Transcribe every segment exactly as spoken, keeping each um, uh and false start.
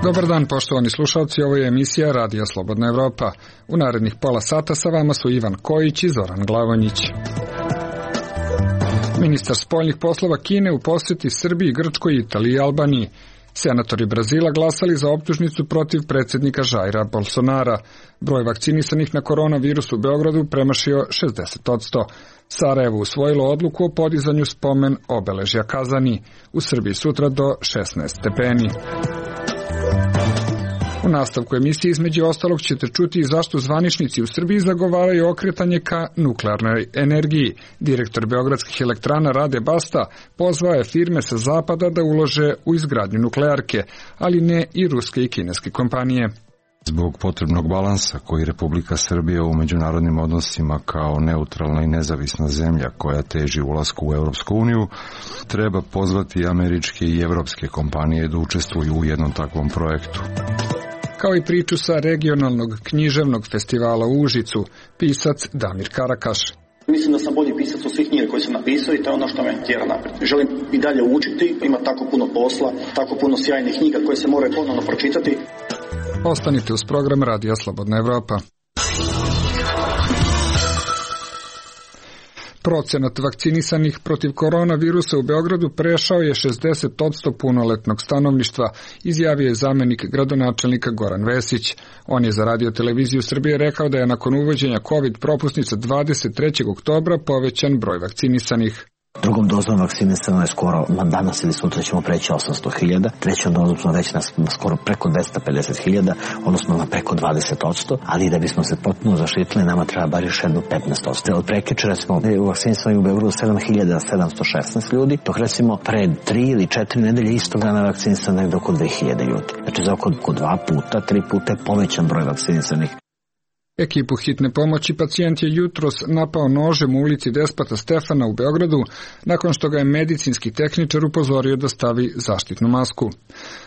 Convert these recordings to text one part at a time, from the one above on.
Dobar dan, poštovani slušalci, ovo je emisija Radija Slobodna Evropa. U narednih pola sata sa vama su Ivan Kojić i Zoran Glavonjić. Ministar spoljnih poslova Kine u posjeti Srbiji, Grčkoj, Italiji i Albaniji. Senatori Brazila glasali za optužnicu protiv predsjednika Jaira Bolsonara. Broj vakcinisanih na koronavirus u Beogradu premašio šezdeset posto. Sarajevo usvojilo odluku o podizanju spomen obeležja Kazani. U Srbiji sutra do šesnaest stepeni. U nastavku emisije između ostalog ćete čuti i zašto zvaničnici u Srbiji zagovaraju okretanje ka nuklearnoj energiji. Direktor Beogradskih elektrana Rade Basta pozvao je firme sa zapada da ulože u izgradnju nuklearke, ali ne i ruske i kineske kompanije. Zbog potrebnog balansa koji Republika Srbija u međunarodnim odnosima kao neutralna i nezavisna zemlja koja teži ulasku u Europsku uniju, treba pozvati američke i evropske kompanije da učestvuju u jednom takvom projektu. Kao i priču sa regionalnog književnog festivala u Užicu, pisac Damir Karakaš. Mislim da sam bolji pisac od svih knjiga koje sam napisao i to je ono što me tjera naprijed. Želim i dalje učiti, ima tako puno posla, tako puno sjajnih knjiga koje se moraju ponovno pročitati. Ostanite uz program Radija Slobodna Evropa. Procenat vakcinisanih protiv koronavirusa u Beogradu prešao je šezdeset posto punoletnog stanovništva, izjavio je zamenik gradonačelnika Goran Vesić. On je za Radio televiziju Srbije rekao da je nakon uvođenja COVID propusnica dvadeset trećeg oktobra povećan broj vakcinisanih. Drugom dozom vakcinisano je skoro, danas ili sutra ćemo preći osamsto hiljada, trećom dozom smo već na, na skoro preko dvesta pedeset hiljada, odnosno na preko dvadeset posto, ali da bismo se potpuno zaštitili, nama treba bar još jedno petnaest posto. Od prekjučera smo u vakcinisani u Beogradu sedam hiljada sedamsto šesnaest ljudi, dok recimo pre tri ili četiri nedelje istog dana vakcinisano je oko dve hiljade ljudi. Znači za oko, oko dva puta, tri puta je povećan broj vakcinisanih. Ekipu hitne pomoći pacijent je jutros napao nožem u ulici Despota Stefana u Beogradu, nakon što ga je medicinski tehničar upozorio da stavi zaštitnu masku.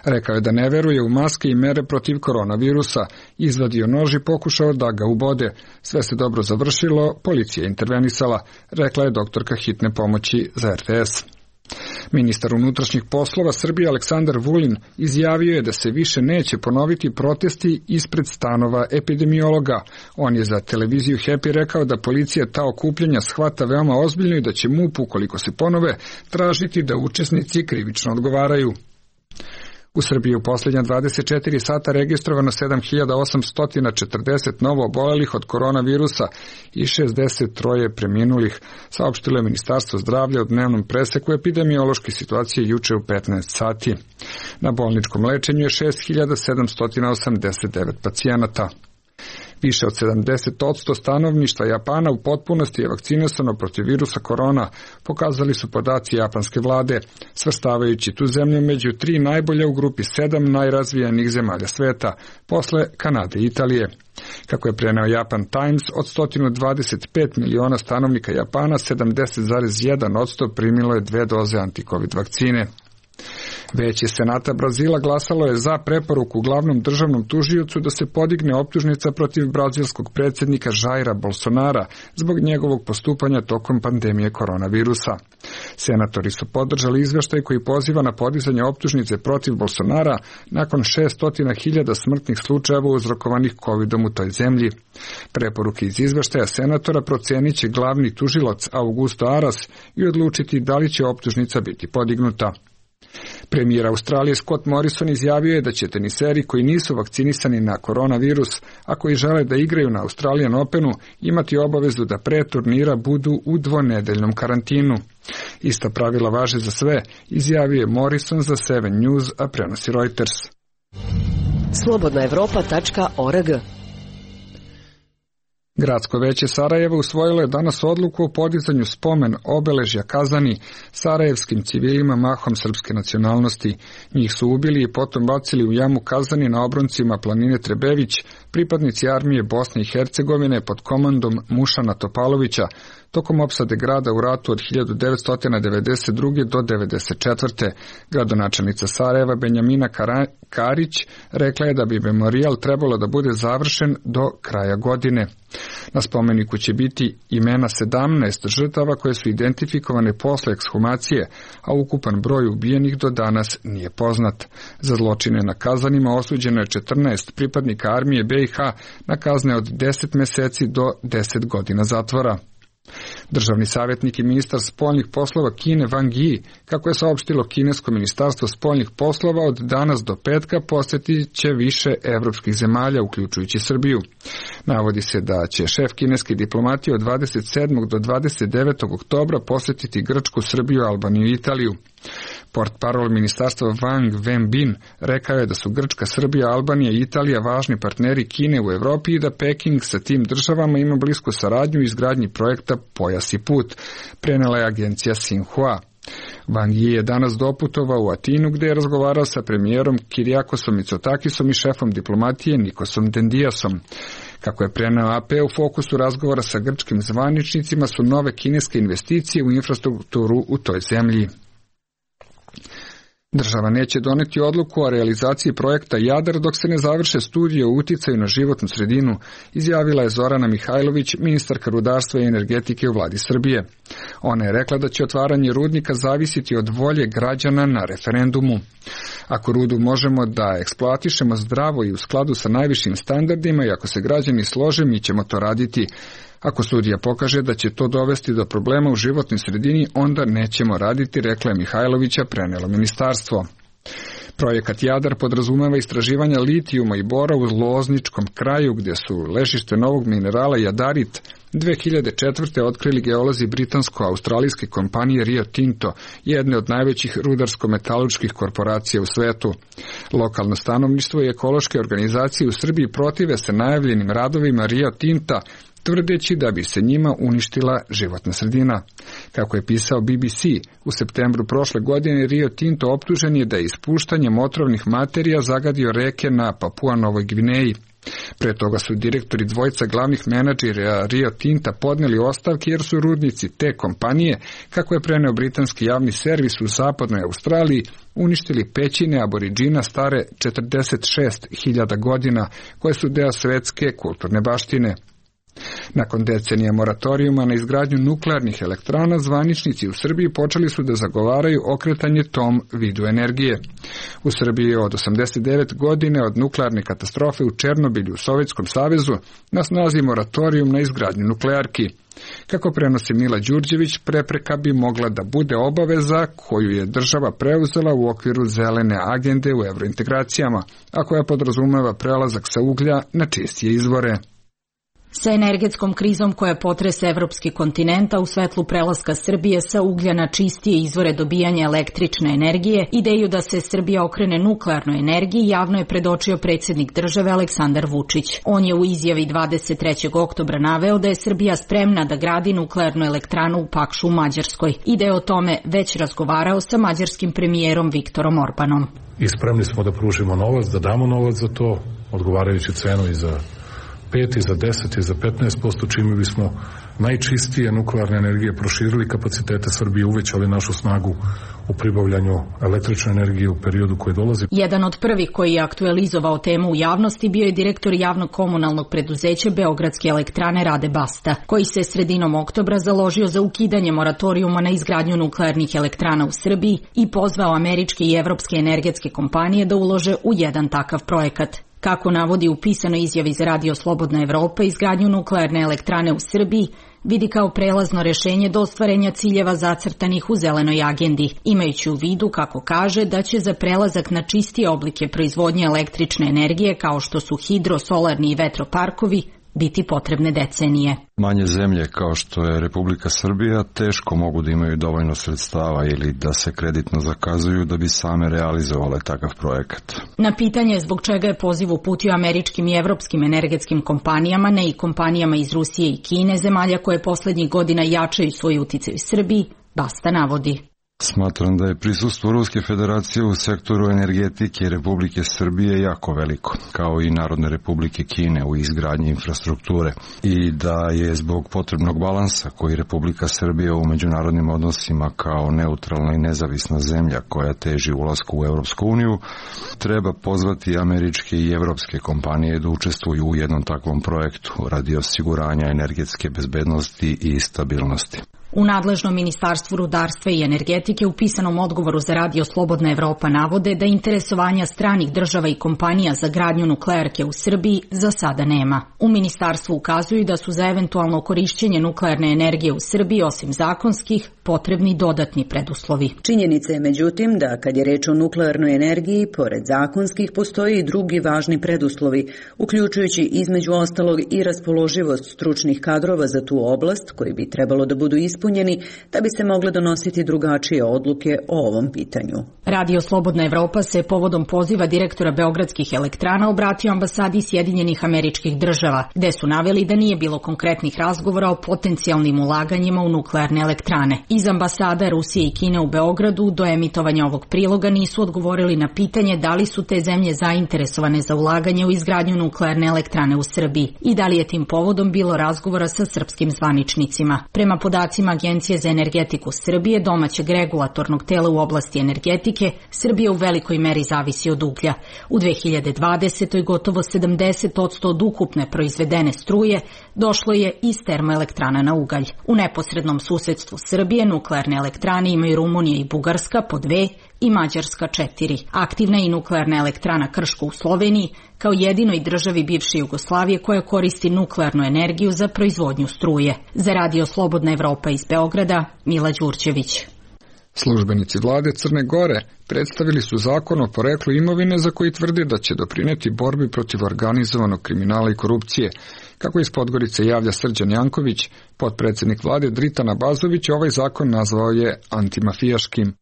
Rekao je da ne veruje u maske i mere protiv koronavirusa, izvadio nož i pokušao da ga ubode. Sve se dobro završilo, policija je intervenisala, rekla je doktorka hitne pomoći za er te es. Ministar unutrašnjih poslova Srbije Aleksandar Vulin izjavio je da se više neće ponoviti protesti ispred stanova epidemiologa. On je za televiziju Happy rekao da policija ta okupljanja shvata veoma ozbiljno i da će MUP, ukoliko se ponove, tražiti da učesnici krivično odgovaraju. U Srbiji u posljednja dvadeset četiri sata registrovano sedam hiljada osamsto četrdeset novo obolelih od koronavirusa i šezdeset tri preminulih, saopštilo je Ministarstvo zdravlja u dnevnom preseku epidemiološke situacije juče u petnaest sati. Na bolničkom lečenju je šest hiljada sedamsto osamdeset devet pacijenata. Više od sedamdeset posto stanovništva Japana u potpunosti je vakcinisano protiv virusa korona, pokazali su podaci japanske vlade, svrstavajući tu zemlju među tri najbolje u grupi sedam najrazvijenijih zemalja sveta, posle Kanade i Italije. Kako je preneo Japan Times, od sto dvadeset pet miliona stanovnika Japana, sedamdeset zarez jedan posto primilo je dve doze antikovid vakcine. Veće Senata Brazila glasalo je za preporuku glavnom državnom tužiocu da se podigne optužnica protiv brazilskog predsjednika Jaira Bolsonara zbog njegovog postupanja tokom pandemije koronavirusa. Senatori su podržali izveštaj koji poziva na podizanje optužnice protiv Bolsonara nakon šesto hiljada smrtnih slučajeva uzrokovanih kovidom u toj zemlji. Preporuke iz izveštaja senatora procenit će glavni tužilac Augusto Aras i odlučiti da li će optužnica biti podignuta. Premijer Australije Scott Morrison izjavio je da će teniseri koji nisu vakcinisani na koronavirus, a koji žele da igraju na Australian Openu, imati obavezu da pre turnira budu u dvonedeljnom karantinu. Ista pravila važe za sve, izjavio je Morrison za Seven News, a prenosi Reuters. slobodna evropa tačka org. Gradsko veće Sarajeva usvojilo je danas odluku o podizanju spomen obeležja Kazani sarajevskim civilima mahom srpske nacionalnosti. Njih su ubili i potom bacili u jamu Kazani na obroncima planine Trebević, pripadnici armije Bosne i Hercegovine pod komandom Mušana Topalovića, tokom opsade grada u ratu od hiljadu devetsto devedeset druge. do devedeset četvrte. Gradonačelnica Sarajeva Benjamina Karić rekla je da bi memorijal trebalo da bude završen do kraja godine. Na spomeniku će biti imena sedamnaest žrtava koje su identifikovane posle ekshumacije, a ukupan broj ubijenih do danas nije poznat. Za zločine na Kazanima osuđeno je četrnaest pripadnika armije B i H na kazne od deset meseci do deset godina zatvora. Državni savjetnik i ministar spoljnih poslova Kine Wang Yi, kako je saopštilo kinesko ministarstvo spoljnih poslova, od danas do petka posjetit će više evropskih zemalja, uključujući Srbiju. Navodi se da će šef kineske diplomatije od dvadeset sedmog do dvadeset devetog oktobra posjetiti Grčku, Srbiju, Albaniju i Italiju. Portparol ministarstva Wang Wenbin rekao je da su Grčka, Srbija, Albanija i Italija važni partneri Kine u Evropi i da Peking sa tim državama ima blisku saradnju u izgradnji projekta Pojas i put, prenela je agencija Xinhua. Wang Yi je danas doputovao u Atinu gdje je razgovarao sa premijerom Kiriakosom Mitsotakisom i šefom diplomatije Nikosom Dendiasom. Kako je preneo A P, u fokusu razgovora sa grčkim zvaničnicima su nove kineske investicije u infrastrukturu u toj zemlji. Država neće doneti odluku o realizaciji projekta Jadar dok se ne završe studije o uticaju na životnu sredinu, izjavila je Zorana Mihajlović, ministarka rudarstva i energetike u vladi Srbije. Ona je rekla da će otvaranje rudnika zavisiti od volje građana na referendumu. Ako rudu možemo da eksploatišemo zdravo i u skladu sa najvišim standardima i ako se građani slože, mi ćemo to raditi. Ako studija pokaže da će to dovesti do problema u životnoj sredini, onda nećemo raditi, rekla je Mihajlovića, prenelo ministarstvo. Projekat Jadar podrazumeva istraživanja litijuma i bora u Lozničkom kraju, gdje su ležište novog minerala jadarit dve hiljade četvrte. otkrili geolozi britansko-australijske kompanije Rio Tinto, jedne od najvećih rudarsko-metalurških korporacija u svetu. Lokalno stanovništvo i ekološke organizacije u Srbiji protive se najavljenim radovima Rio Tinta, tvrdeći da bi se njima uništila životna sredina. Kako je pisao B B C, u septembru prošle godine Rio Tinto optužen je da je ispuštanjem otrovnih materija zagadio reke na Papua Novoj Gvineji. Pre toga su direktori dvojca glavnih menadžera Rio Tinta podneli ostavke jer su rudnici te kompanije, kako je preneo britanski javni servis u zapadnoj Australiji, uništili pećine aboriđina stare četrdeset šest hiljada godina, koje su deo svetske kulturne baštine. Nakon decenija moratorijuma na izgradnju nuklearnih elektrana, zvaničnici u Srbiji počeli su da zagovaraju okretanje tom vidu energije. U Srbiji je od osamdeset devete. godine od nuklearne katastrofe u Černobilju u Sovjetskom savezu na snazi moratorijum na izgradnju nuklearki. Kako prenosi Mila Đurđević, prepreka bi mogla da bude obaveza koju je država preuzela u okviru zelene agende u evrointegracijama, a koja podrazumeva prelazak sa uglja na čistije izvore. Sa energetskom krizom koja potrese evropski kontinent, a u svetlu prelaska Srbije sa uglja na čistije izvore dobijanja električne energije, ideju da se Srbija okrene nuklearnoj energiji javno je predočio predsjednik države Aleksandar Vučić. On je u izjavi dvadeset trećeg oktobra naveo da je Srbija spremna da gradi nuklearnu elektranu u Pakšu u Mađarskoj i da je o tome već razgovarao sa mađarskim premijerom Viktorom Orbanom. I spremni smo da pružimo novac, da damo novac za to, odgovarajući cenu i za pet i za deset i za petnaest posto, čime bismo najčistije nuklearne energije proširili kapacitete Srbije, uvećali našu snagu u pribavljanju električne energije u periodu koji dolazi. Jedan od prvih koji je aktualizovao temu u javnosti bio je direktor javnog komunalnog preduzeća Beogradske elektrane Rade Basta, koji se sredinom oktobra založio za ukidanje moratorijuma na izgradnju nuklearnih elektrana u Srbiji i pozvao američke i evropske energetske kompanije da ulože u jedan takav projekat. Kako navodi u pisanoj izjavi za Radio Slobodna Evropa, izgradnju nuklearne elektrane u Srbiji vidi kao prelazno rešenje do ostvarenja ciljeva zacrtanih u zelenoj agendi, imajući u vidu, kako kaže, da će za prelazak na čistije oblike proizvodnje električne energije, kao što su hidro, solarni i vetroparkovi, biti potrebne decenije. Manje zemlje kao što je Republika Srbija teško mogu da imaju dovoljno sredstava ili da se kreditno zakazuju da bi same realizovale takav projekat. Na pitanje zbog čega je poziv uputio američkim i evropskim energetskim kompanijama, ne i kompanijama iz Rusije i Kine, zemalja koje poslednjih godina jačaju svoj uticaj u Srbiji, Basta navodi. Smatram da je prisustvo Ruske federacije u sektoru energetike Republike Srbije jako veliko, kao i Narodne republike Kine u izgradnji infrastrukture, i da je zbog potrebnog balansa koji Republika Srbija u međunarodnim odnosima kao neutralna i nezavisna zemlja koja teži ulasku u Europsku uniju, treba pozvati američke i evropske kompanije da učestvuju u jednom takvom projektu radi osiguranja energetske bezbednosti i stabilnosti. U nadležnom Ministarstvu rudarstva i energetike u pisanom odgovoru za Radio Slobodna Evropa navode da interesovanja stranih država i kompanija za gradnju nuklearke u Srbiji za sada nema. U ministarstvu ukazuju da su za eventualno korišćenje nuklearne energije u Srbiji osim zakonskih potrebni dodatni preduslovi. Činjenica je međutim da kad je reč o nuklearnoj energiji, pored zakonskih postoji i drugi važni preduslovi, uključujući između ostalog i raspoloživost stručnih kadrova za tu oblast koji bi trebalo da budu ispunjeni da bi se mogle donositi drugačije odluke o ovom pitanju. Radio Slobodna Evropa se povodom poziva direktora Beogradskih elektrana obratio ambasadi Sjedinjenih Američkih Država, gde su naveli da nije bilo konkretnih razgovora o potencijalnim ulaganjima u nuklearne elektrane. Iz ambasada Rusije i Kine u Beogradu do emitovanja ovog priloga nisu odgovorili na pitanje da li su te zemlje zainteresovane za ulaganje u izgradnju nuklearne elektrane u Srbiji i da li je tim povodom bilo razgovora sa srpskim zvaničnicima. Prema podacima Agencije za energetiku Srbije, domaćeg regulatornog tela u oblasti energetike, Srbija u velikoj meri zavisi od uglja. U dve hiljade dvadesetoj. gotovo sedamdeset posto od ukupne proizvedene struje došlo je iz termoelektrana na ugalj. U neposrednom susedstvu Srbije nuklearne elektrane imaju Rumunija i Bugarska po dve i Mađarska četiri. Aktivna je i nuklearna elektrana Krško u Sloveniji, kao jedinoj državi bivše Jugoslavije koja koristi nuklearnu energiju za proizvodnju struje. Za Radio Slobodna Evropa iz Beograda, Mila Đurđević. Službenici vlade Crne Gore predstavili su zakon o poreklu imovine za koji tvrde da će doprineti borbi protiv organizovanog kriminala i korupcije. Kako iz Podgorice javlja Srđan Janković, potpredsjednik vlade Dritan Abazović ovaj zakon nazvao je antimafijaškim.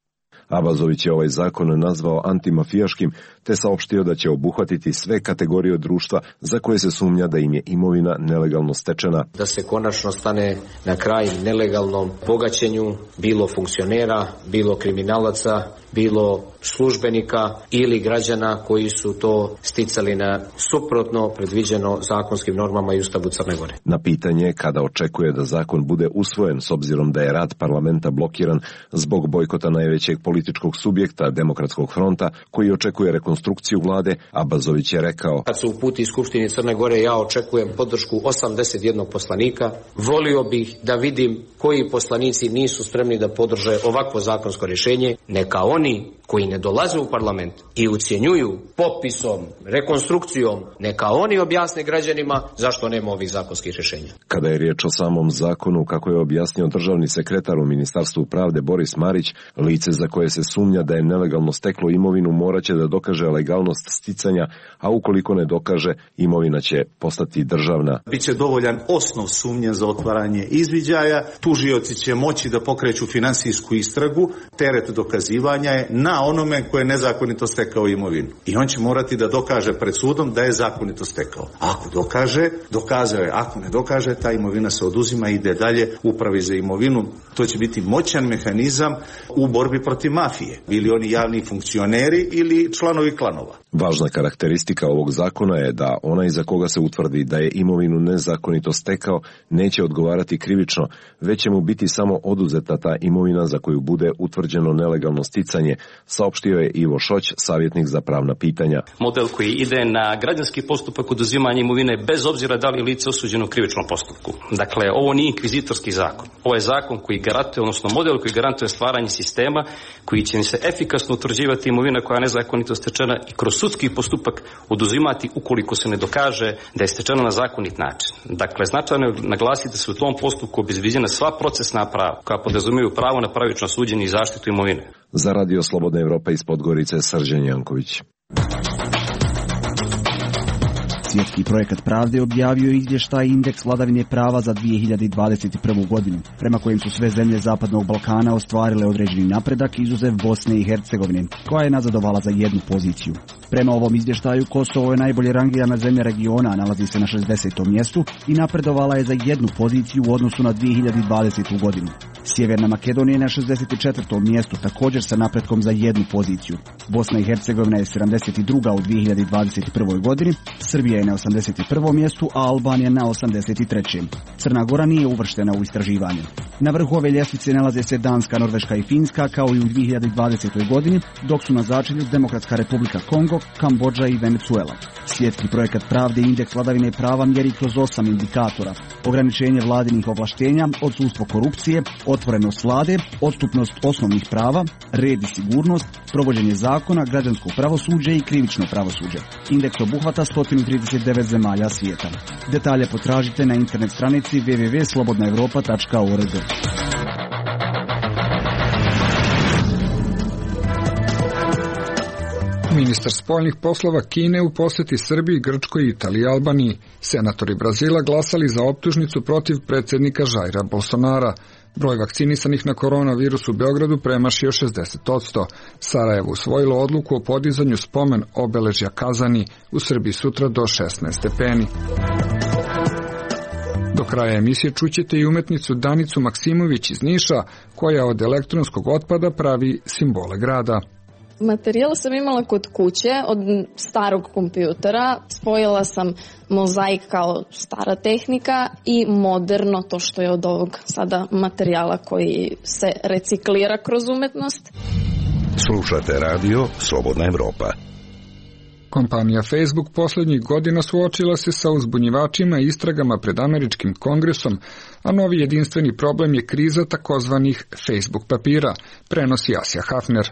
Abazović je ovaj zakon nazvao antimafijaškim te saopštio da će obuhvatiti sve kategorije društva za koje se sumnja da im je imovina nelegalno stečena. Da se konačno stane na kraj nelegalnom bogaćenju bilo funkcionera, bilo kriminalaca, bilo službenika ili građana koji su to sticali na suprotno predviđeno zakonskim normama i Ustavu Crne Gore. Na pitanje kada očekuje da zakon bude usvojen s obzirom da je rad parlamenta blokiran zbog bojkota najvećeg političkog subjekta Demokratskog fronta koji očekuje rekonstrukciju vlade, Abazović je rekao: Kad se uputi iz Skupštine Crne Gore, ja očekujem podršku osamdeset jednog poslanika. Volio bih da vidim koji poslanici nisu spremni da podrže ovakvo zakonsko rješenje. Neka oni koji ne dolaze u parlament i ucjenjuju popisom, rekonstrukcijom, neka oni objasne građanima zašto nema ovih zakonskih rješenja. Kada je riječ o samom zakonu, kako je objasnio državni sekretar u Ministarstvu pravde Boris Marić, lice za koje se sumnja da je nelegalno steklo imovinu moraće da dokaže legalnost sticanja, a ukoliko ne dokaže, imovina će postati državna. Biće dovoljan osnov sumnje za otvaranje izviđaja, tužioci će moći da pokreću finansijsku istragu, teret dokazivanja je na onome koje je nezakonito stekao imovinu. I on će morati da dokaže pred sudom da je zakonito stekao. Ako dokaže, dokazao je. Ako ne dokaže, ta imovina se oduzima i ide dalje upravi za imovinu. To će biti moćan mehanizam u borbi protiv mafije. Bili oni javni funkcioneri ili članovi klanova. Važna karakteristika ovog zakona je da onaj za koga se utvrdi da je imovinu nezakonito stekao neće odgovarati krivično, već će mu biti samo oduzeta ta imovina za koju bude utvrđeno nelegalno sticanje, saopštio je Ivo Šoć, savjetnik za pravna pitanja. Model koji ide na građanski postupak oduzimanja imovine bez obzira da li je lice osuđeno u krivičnom postupku. Dakle, ovo nije inkvizitorski zakon. Ovo je zakon koji garantuje, odnosno model koji garantuje stvaranje sistema koji će se efikasno utvrđivati imovina koja je nezakonito stečena i kroz sudski postupak oduzimati ukoliko se ne dokaže da je stečena na zakonit način. Dakle, značajno je naglasiti da se u tom postupku obezbeđena sva procesna prava koja podrazumijevaju pravo na pravično suđenje i zaštitu imovine. Za Radio Slobodna Evropa iz Podgorice, Srđan Janković. Svjetski projekat pravde objavio izvještaj indeks vladavine prava za dvije hiljade dvadeset prvu. godinu, prema kojem su sve zemlje Zapadnog Balkana ostvarile određeni napredak izuzev Bosne i Hercegovine, koja je nazadovala za jednu poziciju. Prema ovom izvještaju, Kosovo je najbolje rangirana zemlja regiona, nalazi se na šezdesetom mjestu i napredovala je za jednu poziciju u odnosu na dvije hiljade dvadesetu godinu. Sjeverna Makedonija je na šezdeset četvrtom mjestu, također sa napretkom za jednu poziciju. Bosna i Hercegovina je sedamdeset druga u dvije hiljade dvadeset prvoj godini, Srbija je na osamdeset prvom mjestu, a Albanija na osamdeset trećem Crna Gora nije uvrštena u istraživanje. Na vrhu ove ljestvice nalaze se Danska, Norveška i Finska, kao i u dvije hiljade dvadesetoj godini, dok su na začelju Demokratska Republika Kongo, Kambodža i Venezuela. Svjetski projekat pravde i indeks vladavine prava mjeri kroz osam indikatora: ograničenje vladinih ovlaštenja, odsustvo korupcije, otvorenost vlade, odstupnost osnovnih prava, red i sigurnost, provođenje zakona, građansko pravosuđe i krivično pravosuđe. Indeks obuhvata sto trideset devet zemalja svijeta. Detalje potražite na internet stranici w w w tačka slobodna evropa tačka org. Ministar spoljnih poslova Kine u posjeti Srbiji, Grčkoj, Italiji i Albaniji. Senatori Brazila glasali za optužnicu protiv predsjednika Jaira Bolsonara. Broj vakcinisanih na koronavirus u Beogradu premašio šezdeset posto. Sarajevo usvojilo odluku o podizanju spomen obeležja Kazani, u Srbiji sutra do šesnaest stepeni. Do kraja emisije čućete i umetnicu Danicu Maksimović iz Niša, koja od elektronskog otpada pravi simbole grada. Materijal sam imala kod kuće od starog kompjutera, spojila sam mozaik kao stara tehnika i moderno, to što je od ovog sada materijala koji se reciklira kroz umetnost. Slušate radio Slobodna Evropa. Kompanija Facebook posljednjih godina suočila se sa uzbunjivačima i istragama pred američkim kongresom, a novi jedinstveni problem je kriza takozvanih Facebook papira, prenosi Asja Hafner.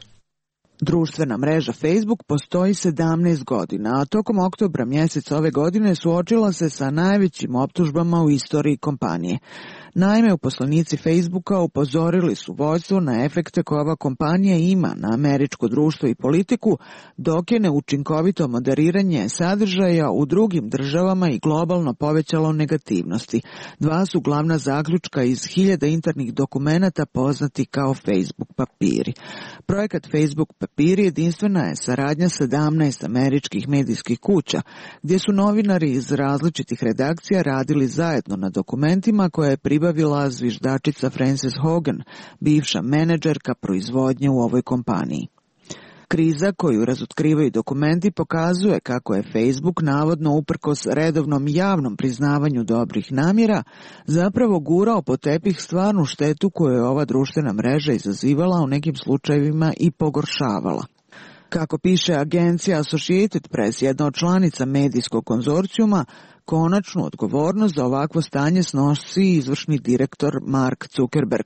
Društvena mreža Facebook postoji sedamnaest godina, a tokom oktobra mjeseca ove godine suočila se sa najvećim optužbama u istoriji kompanije. Naime, uposlenici Facebooka upozorili su vodstvo na efekte koje ova kompanija ima na američko društvo i politiku, dok je neučinkovito moderiranje sadržaja u drugim državama i globalno povećalo negativnosti. Dva su glavna zaključka iz hiljada internih dokumenata poznati kao Facebook papiri. Projekat Facebook papiri jedinstvena je saradnja sedamnaest američkih medijskih kuća, gdje su novinari iz različitih redakcija radili zajedno na dokumentima koje je pribavila zviždačica Frances Hogan, bivša menadžerka proizvodnje u ovoj kompaniji. Kriza koju razotkrivaju dokumenti pokazuje kako je Facebook navodno uprkos redovnom javnom priznavanju dobrih namjera zapravo gurao po tepih stvarnu štetu koju je ova društvena mreža izazivala, u nekim slučajevima i pogoršavala. Kako piše agencija Associated Press, jedna od članica medijskog konzorcijuma, konačnu odgovornost za ovakvo stanje snosi izvršni direktor Mark Zuckerberg,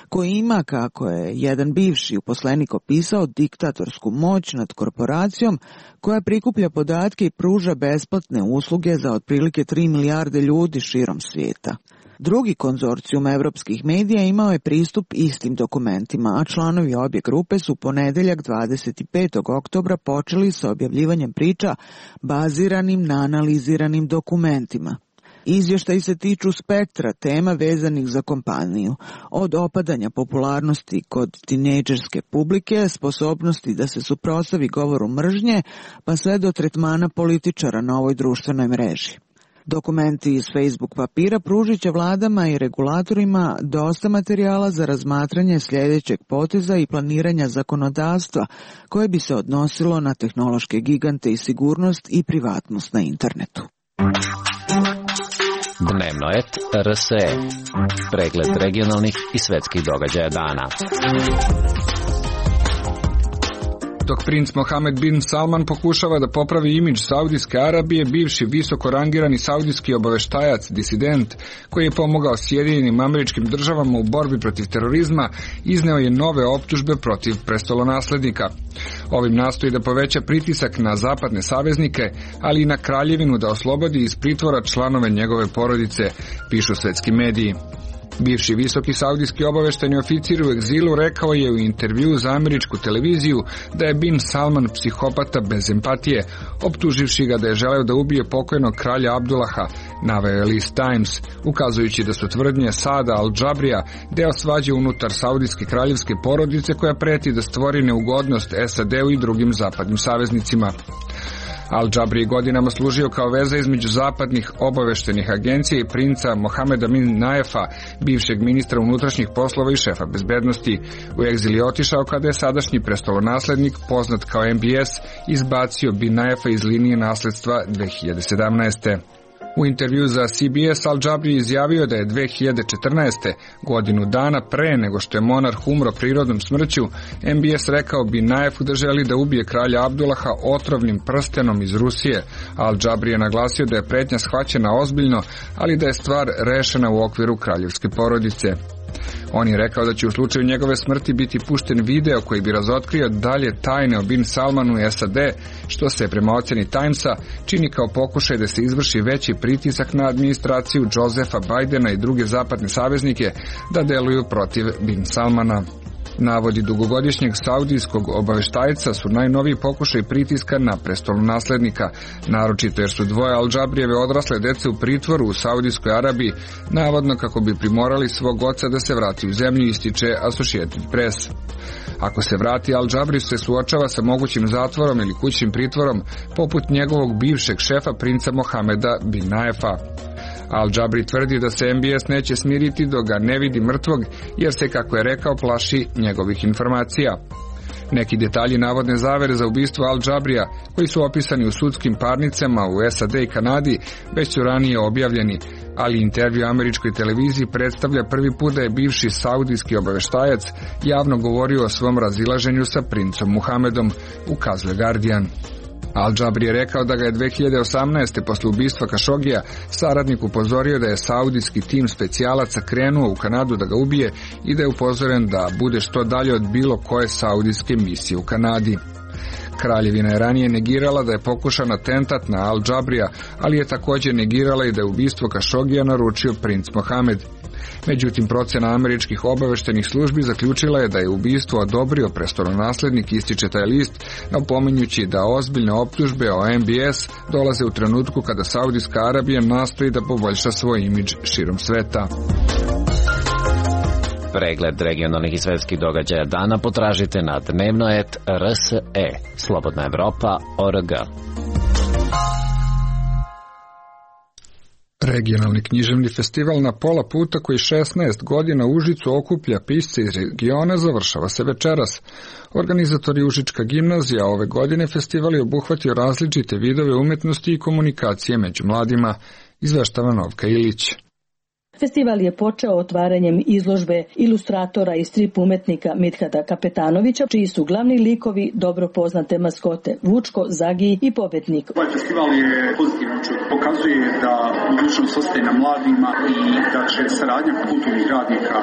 koji ima, kako je jedan bivši uposlenik opisao, diktatorsku moć nad korporacijom koja prikuplja podatke i pruža besplatne usluge za otprilike tri milijarde ljudi širom svijeta. Drugi konzorcijum evropskih medija imao je pristup istim dokumentima, a članovi obje grupe su ponedeljak dvadeset petog oktobra počeli sa objavljivanjem priča baziranim na analiziranim dokumentima. Izvještaji se tiču spektra tema vezanih za kompaniju, od opadanja popularnosti kod tinejdžerske publike, sposobnosti da se suprotstavi govoru mržnje, pa sve do tretmana političara na ovoj društvenoj mreži. Dokumenti iz Facebook papira pružit će vladama i regulatorima dosta materijala za razmatranje sljedećeg poteza i planiranja zakonodavstva koje bi se odnosilo na tehnološke gigante i sigurnost i privatnost na internetu. Dnevno et R S E. Pregled regionalnih i svetskih događaja dana. Dok princ Mohamed bin Salman pokušava da popravi imidž Saudijske Arabije, bivši visoko rangirani saudijski obaveštajac, disident, koji je pomogao Sjedinjenim Američkim Državama u borbi protiv terorizma, izneo je nove optužbe protiv prestolonaslednika. Ovim nastoji da poveća pritisak na zapadne saveznike, ali i na kraljevinu da oslobodi iz pritvora članove njegove porodice, pišu svetski mediji. Bivši visoki saudijski obavešteni oficir u egzilu rekao je u intervju za američku televiziju da je Bin Salman psihopata bez empatije, optuživši ga da je želeo da ubije pokojnog kralja Abdullaha, naveo je list Times, ukazujući da su tvrdnje Saada al-Džabrija deo svađe unutar saudijske kraljevske porodice koja preti da stvori neugodnost S A D-u i drugim zapadnim saveznicima. Al-Džabri je godinama služio kao veza između zapadnih obaveštenih agencija i princa Mohameda bin Naefa, bivšeg ministra unutrašnjih poslova i šefa bezbednosti. U egzil je otišao kada je sadašnji prestolonaslednik, poznat kao M B S, izbacio bin Naefa iz linije nasledstva dve hiljade sedamnaeste. U intervju za C B S Al-Džabri izjavio da je dve hiljade četrnaeste. godinu dana pre nego što je monarh umro prirodnom smrću, M B S rekao bin Naefu da želi da ubije kralja Abdullaha otrovnim prstenom iz Rusije. Al-Džabri je naglasio da je pretnja shvaćena ozbiljno, ali da je stvar rešena u okviru kraljevske porodice. On je rekao da će u slučaju njegove smrti biti pušten video koji bi razotkrio dalje tajne o Bin Salmanu i S A D, što se prema ocjeni Timesa čini kao pokušaj da se izvrši veći pritisak na administraciju Josefa Bidena i druge zapadne saveznike da deluju protiv Bin Salmana. Navodi dugogodišnjeg saudijskog obaveštajca su najnoviji pokušaj pritiska na prestolonaslednika, naročito jer su dvoje Al-Džabrijeve odrasle dece u pritvoru u Saudijskoj Arabiji, navodno kako bi primorali svog oca da se vrati u zemlju, ističe Associated Press. Ako se vrati, Al-Džabri se suočava sa mogućim zatvorom ili kućnim pritvorom, poput njegovog bivšeg šefa princa Mohameda bin Naefa. Al-Džabri tvrdi da se M B S neće smiriti dok ga ne vidi mrtvog, jer se, kako je rekao, plaši njegovih informacija. Neki detalji navodne zavere za ubistvo Al-Džabrija, koji su opisani u sudskim parnicama u S A D i Kanadi, već su ranije objavljeni, ali intervju američkoj televiziji predstavlja prvi put da je bivši saudijski obaveštajac javno govorio o svom razilaženju sa princom Muhamedom, ukazuje Guardian. Al-Džabri je rekao da ga je dve hiljade osamnaeste. posle ubistva Kašogija saradnik upozorio da je saudijski tim specijalaca krenuo u Kanadu da ga ubije i da je upozoren da bude što dalje od bilo koje saudijske misije u Kanadi. Kraljevina je ranije negirala da je pokušan atentat na Al-Džabrija, ali je također negirala i da je ubistvo Kašogija naručio princ Mohamed. Međutim, procena američkih obaveštenih službi zaključila je da je ubistvo odobrio prestolonaslednik, ističe taj list, napominjući da ozbiljne optužbe o M B S dolaze u trenutku kada Saudijska Arabija nastoji da poboljša svoj imidž širom sveta. Pregled regionalnih i svetskih događaja dana potražite na dnevno et R S E, Slobodna Evropa, O R G. Regionalni književni festival Na pola puta, koji šesnaest godina u Užicu okuplja pisce iz regiona, završava se večeras. Organizatori Užička gimnazija ove godine festival je obuhvatio različite vidove umetnosti i komunikacije među mladima, izveštava Novka Ilić. Festival je počeo otvaranjem izložbe ilustratora i strip umetnika Mithata Kapetanovića, čiji su glavni likovi dobro poznate maskote Vučko, Zagi i Pobednik. Ovaj festival je pozitivan, pokazuje da budućnost ostaje na mladima i da će saradnja kulturnih radnika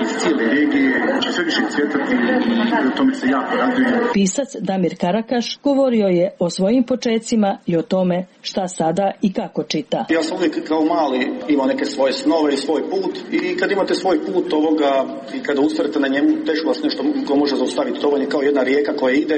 iz cijele regije će sve više cvjetati i o tome se jako radujem. Pisac Damir Karakaš govorio je o svojim počecima i o tome šta sada i kako čita. Ja sam uvijek kao mali imao neke svoje snove i svoj put, i kad imate svoj put ovoga i kada ustrajete na njemu, teško vas nešto ko može zaustaviti. To je kao jedna rijeka koja ide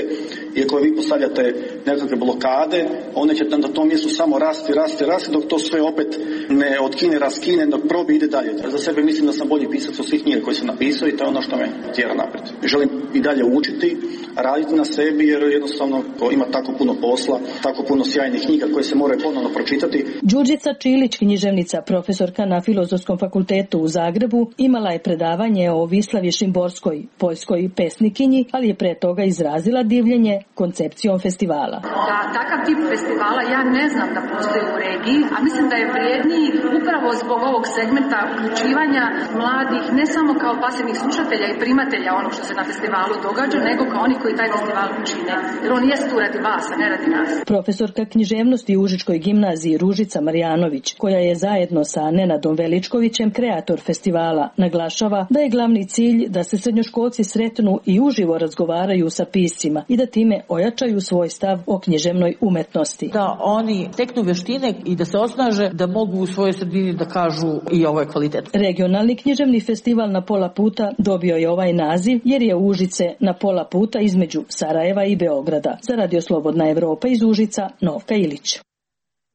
i koja vi postavljate nekakve blokade, one će na tom mjestu samo rasti, rasti, rasti, dok to sve opet ne otkine, raskine, dok probi ide dalje. Za sebe mislim da sam bolji pisac od svih knjiga koje sam napisao i to je ono što me tjera naprijed. Želim i dalje učiti, raditi na sebi, jer jednostavno ima tako puno posla, tako puno sjajnih knjiga koje se moraju ponovno pročitati. Đurđica Čilić, književnica, profesorka na Filozofskom fakultetu u Zagrebu, imala je predavanje o Vislavi Šimborskoj, poljskoj pesnikinji, ali je pre toga izrazila divljenje koncepcijom festivala. Da takav tip festivala ja ne znam da postoji u regiji, a mislim da je vrijedniji upravo zbog ovog segmenta uključivanja mladih, ne samo kao pasivnih slušatelja i primatelja onog što se na festivalu događa, nego kao oni koji taj festival čine. Jer on jeste tu radi vas, a ne radi nas. Profesorka književnosti u Užičkoj gimnaziji Ružica Marjanović, koja je zajedno sa Nenadom Veličkovićem kreator festivala, naglašava da je glavni cilj da se srednjoškolci sretnu i uživo razgovaraju sa piscima i da time ojačaju svoj stav o književnoj umetnosti. Da oni teknu vještine i da se osnaže da mogu u svojoj sredini da kažu i ovo je kvalitet. Regionalni književni festival na pola puta dobio je ovaj naziv jer je Užice na pola puta između Sarajeva i Beograda. Za Radio Slobodna Evropa iz Užica, Novka Ilić.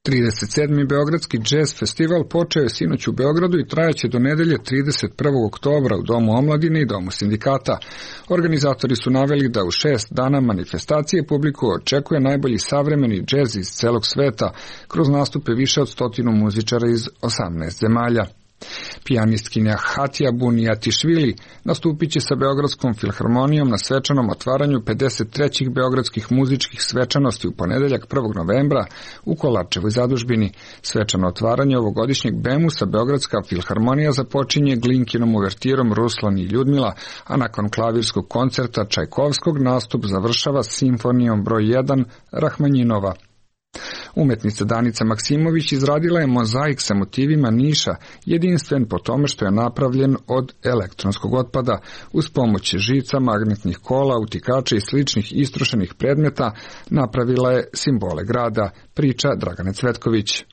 trideset sedmi Beogradski džez festival počeo je sinoć u Beogradu i trajaće do nedelje trideset prvog oktobra u Domu omladine i Domu sindikata. Organizatori su naveli da u šest dana manifestacije publiku očekuje najbolji savremeni džez iz celog sveta kroz nastupe više od stotinu muzičara iz osamnaest zemalja. Pijanistkinja Hatija Bunijatišvili nastupit će sa Beogradskom filharmonijom na svečanom otvaranju pedeset trećih beogradskih muzičkih svečanosti u ponedeljak prvog novembra u Kolarčevoj zadužbini. Svečano otvaranje ovogodišnjeg Bemusa Beogradska filharmonija započinje Glinkinom uvertirom Ruslan i Ljudmila, a nakon klavirskog koncerta Čajkovskog nastup završava simfonijom broj jedan Rahmanjinova. Umetnica Danica Maksimović izradila je mozaik sa motivima Niša, jedinstven po tome što je napravljen od elektronskog otpada. Uz pomoć žica, magnetnih kola, utikača i sličnih istrošenih predmeta napravila je simbole grada, priča Dragane Cvetković.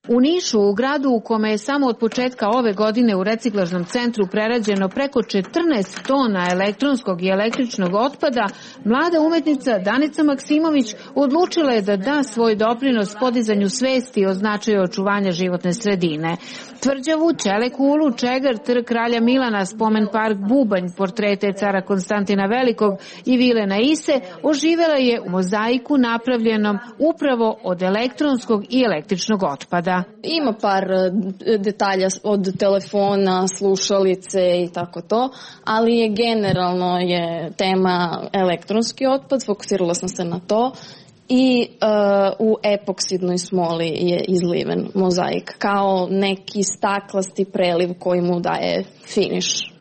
U Nišu, u gradu u kome je samo od početka ove godine u reciklažnom centru prerađeno preko četrnaest tona elektronskog i električnog otpada, mlada umetnica Danica Maksimović odlučila je da da svoj doprinos podizanju svesti o značaju očuvanja životne sredine. Tvrđavu, Ćelekulu, Čegar, Trg kralja Milana, spomen park Bubanj, portrete cara Konstantina Velikog i vile na Ise oživela je u mozaiku napravljenom upravo od elektronskog i električnog otpada. Ima par detalja od telefona, slušalice i tako to, ali je generalno je tema elektronski otpad, fokusirala sam se na to. I uh, u epoksidnoj smoli je izliven mozaik kao neki staklasti preliv koji mu daje finiš.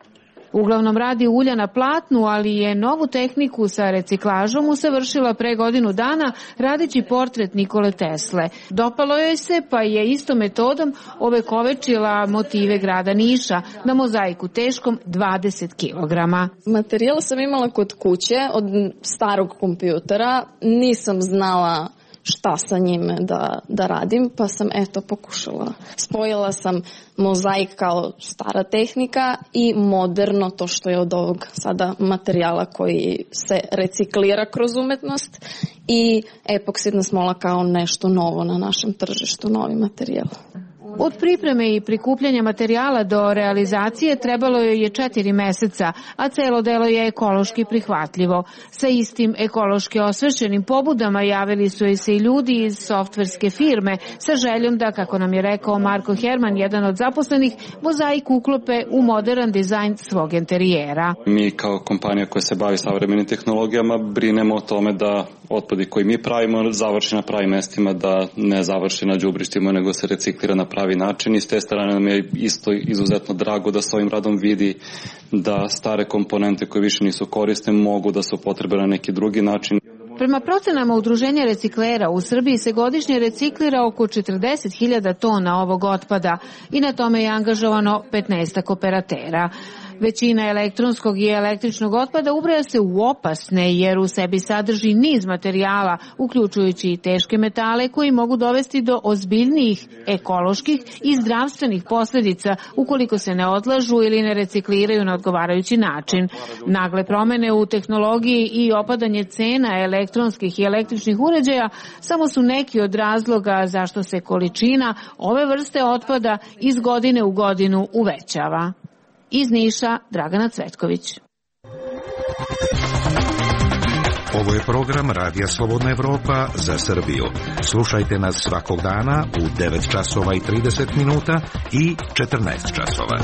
Uglavnom radi ulja na platnu, ali je novu tehniku sa reciklažom usavršila pre godinu dana radeći portret Nikole Tesle. Dopalo joj se, pa je istom metodom ovekovečila motive grada Niša na mozaiku teškom dvadeset kilograma. Materijal sam imala kod kuće od starog kompjutera, nisam znala šta sa njime da, da radim, pa sam eto pokušala. Spojila sam mozaik kao stara tehnika i moderno, to što je od ovog sada materijala koji se reciklira kroz umetnost, i epoksidna smola kao nešto novo na našem tržištu, novi materijal. Od pripreme i prikupljanja materijala do realizacije trebalo joj je četiri meseca, a celo delo je ekološki prihvatljivo. Sa istim ekološki osvešćenim pobudama javili su joj se i ljudi iz softverske firme sa željom da, kako nam je rekao Marko Herman, jedan od zaposlenih, mozaik uklope u modern dizajn svog interijera. Mi kao kompanija koja se bavi savremenim tehnologijama brinemo o tome da otpadi koji mi pravimo završi na pravim mestima, da ne završi na đubrištima, nego se reciklira na pravi način. I s te strane nam je isto izuzetno drago da s ovim radom vidi da stare komponente koje više nisu korisne mogu da se upotrebe na neki drugi način. Prema procenama Udruženja reciklera, u Srbiji se godišnje reciklira oko četrdeset hiljada tona ovog otpada i na tome je angažovano petnaestak operatera. Većina elektronskog i električnog otpada ubraja se u opasne jer u sebi sadrži niz materijala, uključujući i teške metale koji mogu dovesti do ozbiljnijih ekoloških i zdravstvenih posljedica ukoliko se ne odlažu ili ne recikliraju na odgovarajući način. Nagle promene u tehnologiji i opadanje cena elektronskih i električnih uređaja samo su neki od razloga zašto se količina ove vrste otpada iz godine u godinu uvećava. Iz Niša, Dragana Cvetković. Ovo je program Radija Slobodna Evropa za Srbiju. Slušajte nas svakog dana u devet časova i trideset minuta i četrnaest časova.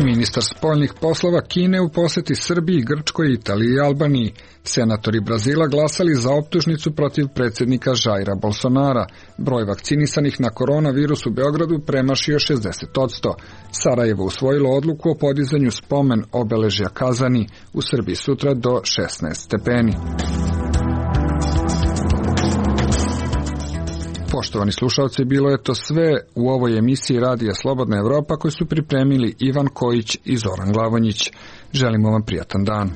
Ministar spoljnih poslova Kine u poseti Srbiji, Grčkoj, Italiji i Albaniji. Senatori Brazila glasali za optužnicu protiv predsjednika Jaira Bolsonara. Broj vakcinisanih na koronavirus u Beogradu premašio šezdeset posto. Sarajevo usvojilo odluku o podizanju spomen obeležja Kazani, u Srbiji sutra do šesnaest stepeni. Poštovani slušalci, bilo je to sve u ovoj emisiji Radija Slobodna Evropa koju su pripremili Ivan Kojić i Zoran Glavonjić. Želimo vam prijatan dan.